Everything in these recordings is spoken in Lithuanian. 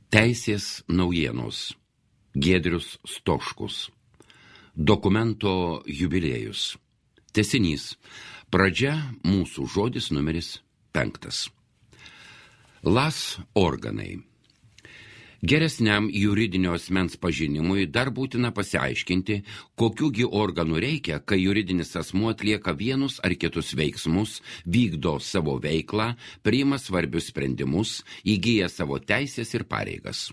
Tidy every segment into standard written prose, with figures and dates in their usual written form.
Teisės naujienos. Giedrius Stoškus. Dokumento jubiliejus. Tęsinys. Pradžia mūsų žodis numeris 5. LAS organai. Geresniam juridinio asmens pažinimui dar būtina pasiaiškinti, kokiųgi organų reikia, kai juridinis asmuo atlieka vienus ar kitus veiksmus, vykdo savo veiklą, priima svarbius sprendimus, įgyja savo teisės ir pareigas.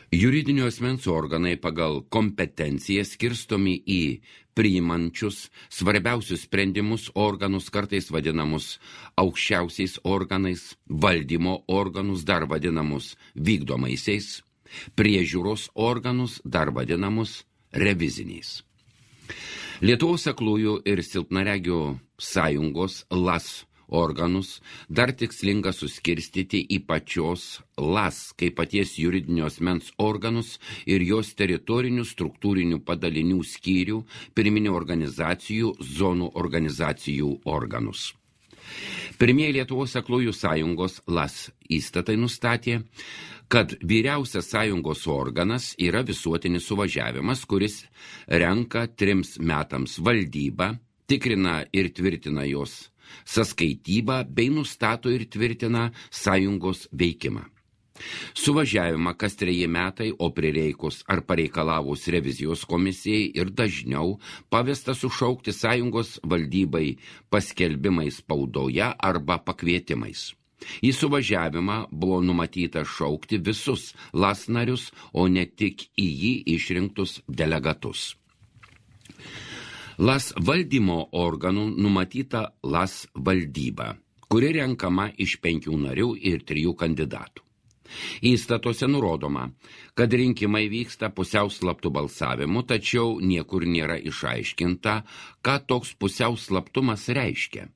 Juridinio asmens organai pagal kompetenciją skirstomi į priimančius svarbiausius sprendimus organus, kartais vadinamus aukščiausiais organais, valdymo organus, dar vadinamus vykdomaisiais, priežiūros organus, dar vadinamus reviziniais. Lietuvos aklųjų ir silpnaregių sąjungos LAS organus dar tikslinga suskirstyti į pačios LAS, kaip paties juridinio asmens organus ir jos teritorinių struktūrinių padalinių skyrių, pirminių organizacijų, zonų organizacijų organus. Pirmieji Lietuvos aklųjų sąjungos LAS įstatai nustatė, kad vyriausias sąjungos organas yra visuotinis suvažiavimas, kuris renka 3 metams valdybą, tikrina ir tvirtina jos sąskaitybą bei nustato ir tvirtina sąjungos veikimą. Suvažiavimą kas 3 metai, o prireikus ar pareikalavus revizijos komisijai ir dažniau pavesta sušaukti sąjungos valdybai paskelbimais spaudoje arba pakvietimais. Į suvažiavimą buvo numatyta šaukti visus LAS narius, o ne tik į jį išrinktus delegatus. LAS valdymo organų numatyta LAS valdyba, kuri renkama iš 5 narių ir 3 kandidatų. Įstatuose nurodoma, kad rinkimai vyksta pusiau slaptų balsavimų, tačiau niekur nėra išaiškinta, ką toks pusiau slaptumas reiškia.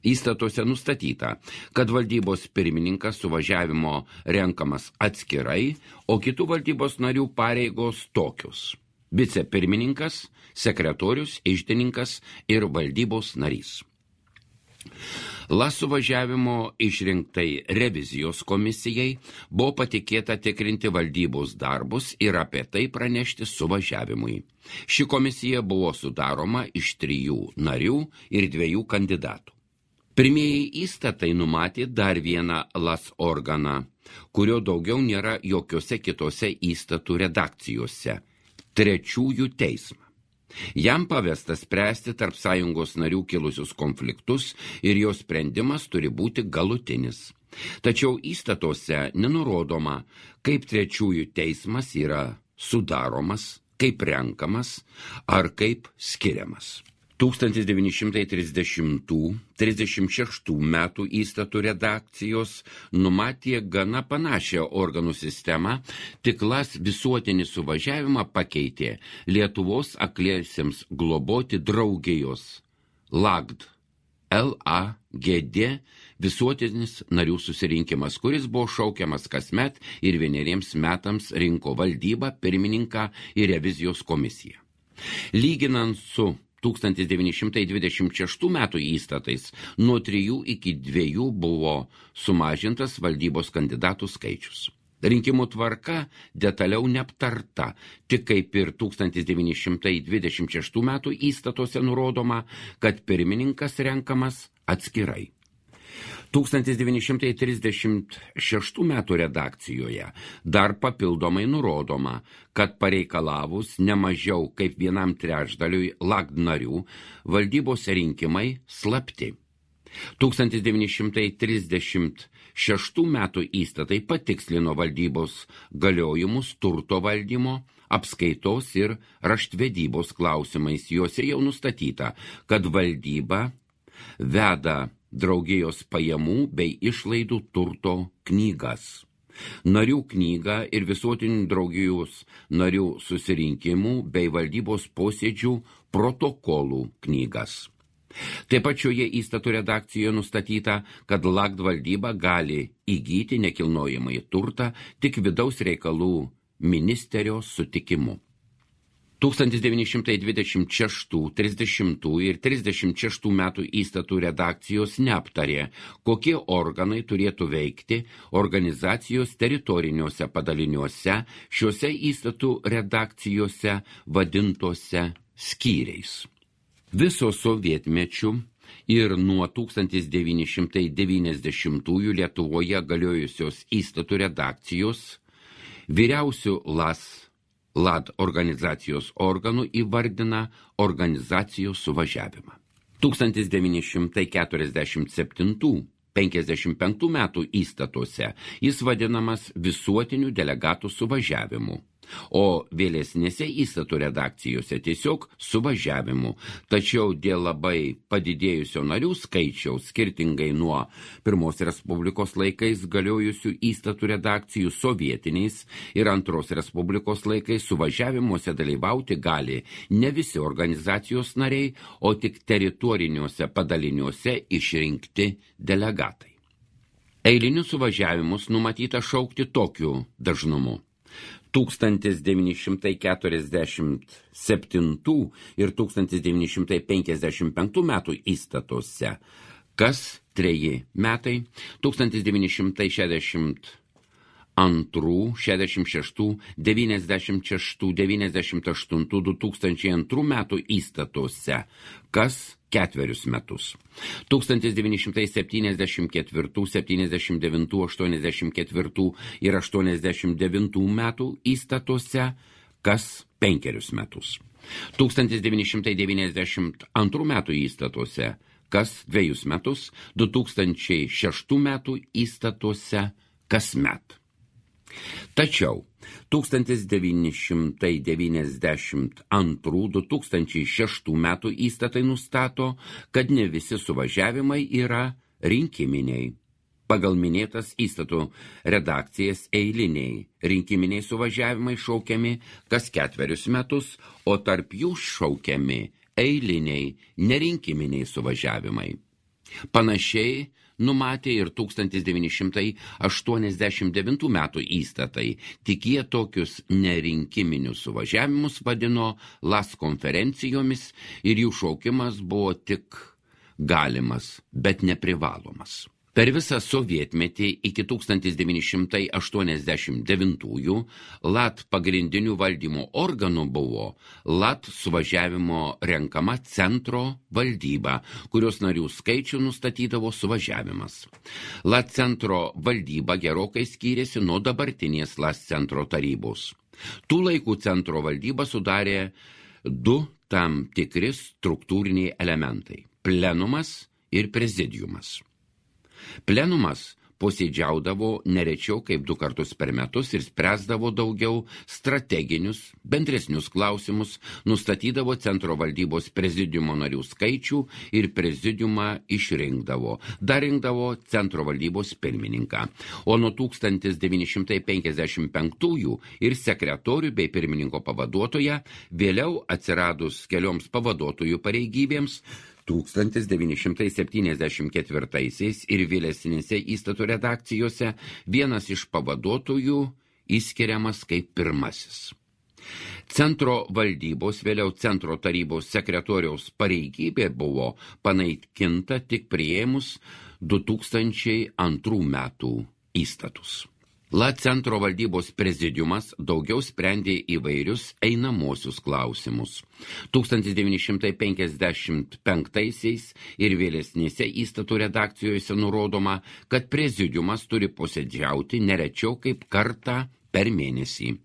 Įstatuose nustatyta, kad valdybos pirmininkas suvažiavimo renkamas atskirai, o kitų valdybos narių pareigos tokius: vicepirmininkas, sekretorius, iždininkas ir valdybos narys. LAS suvažiavimo išrinktai revizijos komisijai buvo patikėta tikrinti valdybos darbus ir apie tai pranešti suvažiavimui. Ši komisija buvo sudaroma iš 3 narių ir 2 kandidatų. Pirmieji įstatai numatė dar vieną LAS organą, kurio daugiau nėra jokiose kitose įstatų redakcijose – trečiųjų teismą. Jam pavesta spręsti tarp sąjungos narių kilusius konfliktus ir jo sprendimas turi būti galutinis. Tačiau įstatuose nenurodoma, kaip trečiųjų teismas yra sudaromas, kaip renkamas ar kaip skiriamas. 1930–36 metų įstatų redakcijos numatė gana panašią organų sistemą, tik LAS visuotinį suvažiavimą pakeitė Lietuvos akliesiems globoti draugijos LAGD, LAGD visuotinis narių susirinkimas, kuris buvo šaukiamas kasmet ir 1 metams rinko valdybą, pirmininką ir revizijos komisiją. Lyginant su 1926 metų įstatais nuo 3 iki 2 buvo sumažintas valdybos kandidatų skaičius. Rinkimų tvarka detaliau neaptarta, tik kaip ir 1926 metų įstatuose nurodoma, kad pirmininkas renkamas atskirai. 1936 metų redakcijoje dar papildomai nurodoma, kad pareikalavus ne mažiau kaip 1/3 LAGD narių valdybos rinkimai slapti. 1936 metų įstatai patikslino valdybos galiojimus turto valdymo, apskaitos ir raštvedybos klausimais. Juose jau nustatyta, kad valdyba veda draugijos pajamų bei išlaidų turto knygas, narių knygą ir visuotinių draugijos narių susirinkimų bei valdybos posėdžių protokolų knygas. Taip pat šioje įstatų redakcijoje nustatyta, kad LAGD valdyba gali įgyti nekilnojamąjį turtą tik vidaus reikalų ministerijos sutikimu. 1926, 30 ir 36 metų įstatų redakcijos neaptarė, kokie organai turėtų veikti organizacijos teritoriniuose padaliniuose šiuose įstatų redakcijose vadintose skyriais. Viso sovietmečių ir nuo 1990 Lietuvoje galiojusios įstatų redakcijos vyriausių LAD organizacijos organų įvardina organizacijos suvažiavimą. 1947–55 metų įstatuose jis vadinamas visuotinių delegatų suvažiavimu, o vėlesnėse įstatų redakcijose tiesiog suvažiavimu, tačiau dėl labai padidėjusio narių skaičiaus, skirtingai nuo Pirmos Respublikos laikais galiojusių įstatų redakcijų, sovietiniais ir Antros Respublikos laikais suvažiavimuose dalyvauti gali ne visi organizacijos nariai, o tik teritoriniuose padaliniuose išrinkti delegatai. Eilinius suvažiavimus numatyta šaukti tokiu dažnumu. 1947 ir 1955 metų įstatuose kas 3 metai, 1962, 66, 96, 98, 2002 metų įstatuose kas 4 metus. 1974, 79, 84 ir 89 metų įstatuose kas 5 metus. 1992 metų įstatuose kas 2 metus, 2006 metų įstatuose kasmet. Tačiau 1992–2006 metų įstatai nustato, kad ne visi suvažiavimai yra rinkiminiai. Pagal minėtas įstatų redakcijas eiliniai rinkiminiai suvažiavimai šaukiami kas 4 metus, o tarp jų šaukiami eiliniai nerinkiminiai suvažiavimai. Panašiai numatė ir 1989 metų įstatai, tik jie tokius nerinkiminius suvažiavimus vadino LAS konferencijomis ir jų šaukimas buvo tik galimas, bet neprivalomas. Per visą sovietmetį iki 1989 LAT pagrindinių valdymo organų buvo LAT suvažiavimo renkama centro valdyba, kurios narių skaičių nustatydavo suvažiavimas. LAT centro valdyba gerokai skyrėsi nuo dabartinės LAT centro tarybos. Tų laikų centro valdybą sudarė 2 tam tikri struktūriniai elementai – plenumas ir prezidiumas. Plenumas posėdžiaudavo nerečiau kaip 2 kartus per metus ir spręsdavo daugiau strateginius, bendresnius klausimus, nustatydavo centro valdybos prezidiumo narių skaičių ir prezidiumą išrinkdavo. Dar rinkdavo centro valdybos pirmininką. O nuo 1955 ir sekretorių bei pirmininko pavaduotoją, vėliau atsiradus kelioms pavaduotojų pareigybėms, 1974 ir vėlesnėse įstatų redakcijose vienas iš pavaduotojų įskiriamas kaip pirmasis. Centro valdybos, vėliau centro tarybos sekretoriaus pareigybė buvo panaikinta tik priėmus 2002 metų įstatus. LAT centro valdybos prezidiumas daugiau sprendė įvairius einamosius klausimus. 1955 ir vėlesnėse įstatų redakcijose nurodoma, kad prezidiumas turi posėdžiauti nerečiau kaip kartą per mėnesį.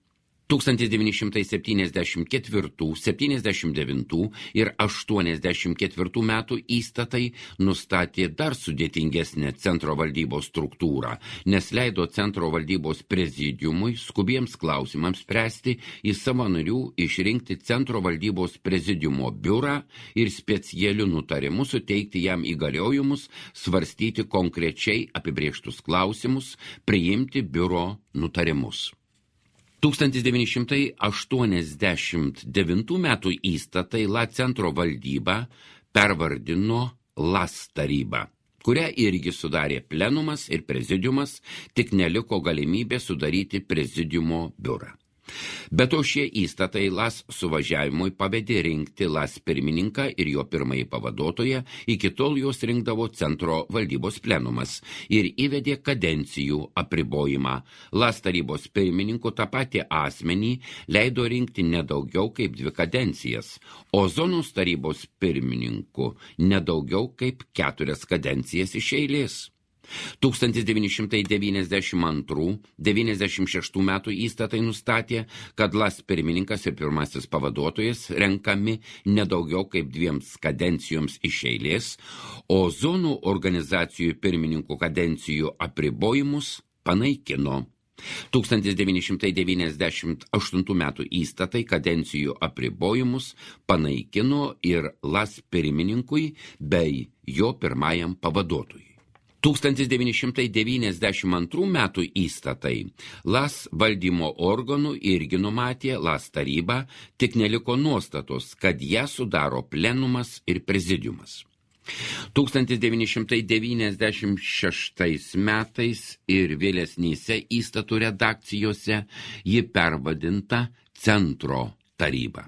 1974, 79 ir 84 metų įstatai nustatė dar sudėtingesnę centro valdybos struktūrą, nes leido centro valdybos prezidiumui skubiems klausimams spręsti į savo narių išrinkti centro valdybos prezidiumo biurą ir specialiu nutarimu suteikti jam įgaliojimus svarstyti konkrečiai apibrėžtus klausimus, priimti biuro nutarimus. 1989 metų įstatai LAT centro valdybą pervardino LAS tarybą, kurią irgi sudarė plenumas ir prezidiumas, tik neliko galimybė sudaryti prezidiumo biurą. Be to šie įstatai LAS suvažiavimui pavedė rinkti LAS pirmininką ir jo pirmąjį pavaduotoją, iki tol juos rinkdavo centro valdybos plenumas ir įvedė kadencijų apribojimą. LAS tarybos pirmininku tą patį asmenį leido rinkti nedaugiau kaip 2 kadencijas, o zonos tarybos pirmininku nedaugiau kaip 4 kadencijas iš eilės. 1992–96 metų įstatai nustatė, kad LAS pirmininkas ir pirmasis pavaduotojas renkami nedaugiau kaip 2 kadencijoms iš eilės, o zonų organizacijų pirmininkų kadencijų apribojimus panaikino. 1998 metų įstatai kadencijų apribojimus panaikino ir LAS pirmininkui bei jo pirmajam pavaduotojui. 1992 metų įstatai LAS valdymo organų irgi numatė LAS tarybą, tik neliko nuostatos, kad ją sudaro plenumas ir prezidiumas. 1996 metais ir vėlesnėse įstatų redakcijose ji pervadinta Centro taryba.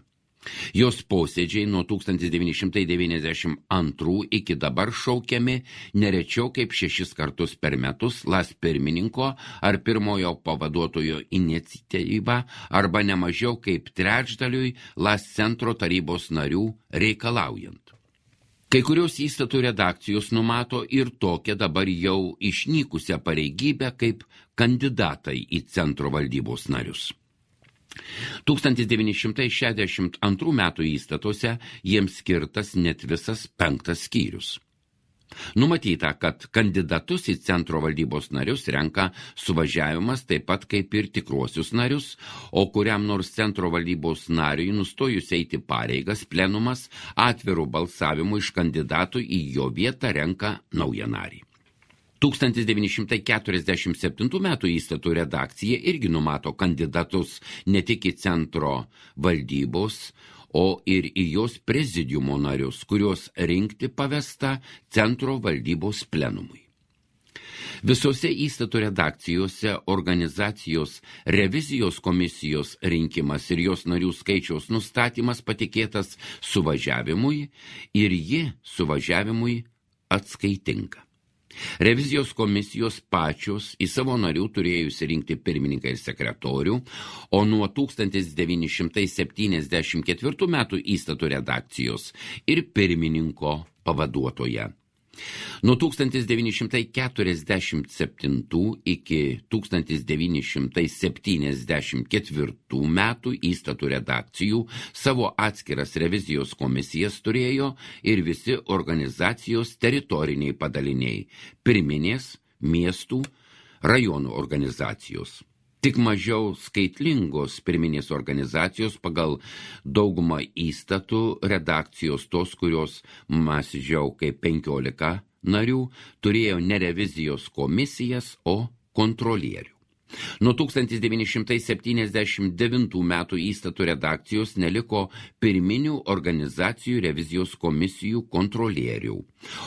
Jos posėdžiai nuo 1992 iki dabar šaukiami nerečiau kaip 6 kartus per metus LAS pirmininko ar pirmojo pavaduotojo iniciatyva arba nemažiau kaip 1/3 LAS centro tarybos narių reikalaujant. Kai kurios įstatų redakcijos numato ir tokią dabar jau išnykusią pareigybę kaip kandidatai į centro valdybos narius. 1962 metų įstatuose jiems skirtas net visas 5 skyrius. Numatyta, kad kandidatus į centro valdybos narius renka suvažiavimas taip pat kaip ir tikruosius narius, o kuriam nors centro valdybos nariui nustojus eiti pareigas plenumas atvirų balsavimų iš kandidatų į jo vietą renka naują narį. 1947 metų įstatų redakcija irgi numato kandidatus ne tik į centro valdybos, o ir į jos prezidiumo narius, kuriuos rinkti pavesta centro valdybos plenumui. Visose įstatų redakcijose organizacijos revizijos komisijos rinkimas ir jos narių skaičiaus nustatymas patikėtas suvažiavimui ir ji suvažiavimui atskaitinga. Revizijos komisijos pačios į savo narių turėjusi rinkti pirmininką ir sekretorių, o nuo 1974 metų įstatų redakcijos ir pirmininko pavaduotoja. Nuo 1947 iki 1974 metų įstatų redakcijų savo atskiras revizijos komisijas turėjo ir visi organizacijos teritoriniai padaliniai, pirminės, miestų, rajonų organizacijos. Tik mažiau skaitlingos pirminės organizacijos pagal daugumą įstatų redakcijos tos, kurios mažiau kaip 15 narių, turėjo ne revizijos komisijas, o kontrolierių. Nuo 1979 metų įstatų redakcijos neliko pirminių organizacijų revizijos komisijų kontrolierių,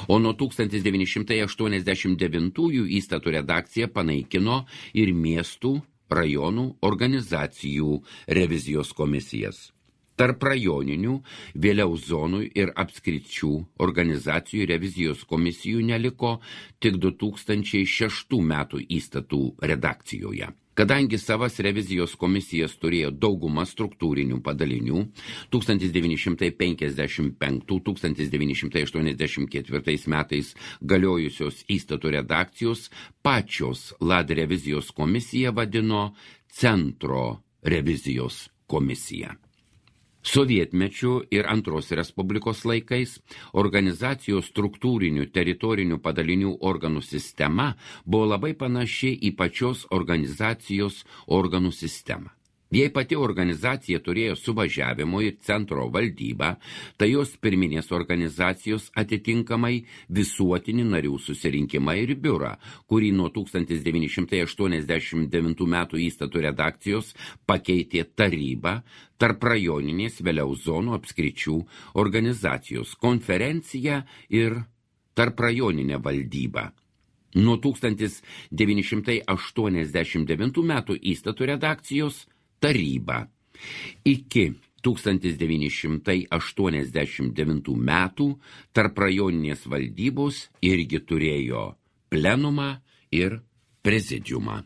o nuo 1989 įstatų redakcija panaikino ir miestų, rajonų organizacijų revizijos komisijas. Tarp rajoninių, vėliau zonų ir apskričių organizacijų revizijos komisijų neliko tik 2006 metų įstatų redakcijoje. Kadangi savas revizijos komisijas turėjo daugumą struktūrinių padalinių, 1955–1984 metais galiojusios įstatų redakcijos pačios LAD revizijos komisiją vadino Centro revizijos komisija. Sovietmečiu ir Antros Respublikos laikais organizacijos struktūrinių teritorinių padalinių organų sistema buvo labai panaši į pačios organizacijos organų sistemą. Jei pati organizacija turėjo suvažiavimo ir centro valdybą, tai jos pirminės organizacijos atitinkamai visuotinį narių susirinkimą ir biurą, kurį nuo 1989 metų įstatų redakcijos pakeitė taryba, tarp rajoninės vėliau zonų apskričių organizacijos konferencija ir tarp rajoninė valdyba. Nuo 1989 metų įstatų redakcijos taryba. Iki 1989 metų tarp rajoninės valdybos irgi turėjo plenumą ir prezidiumą.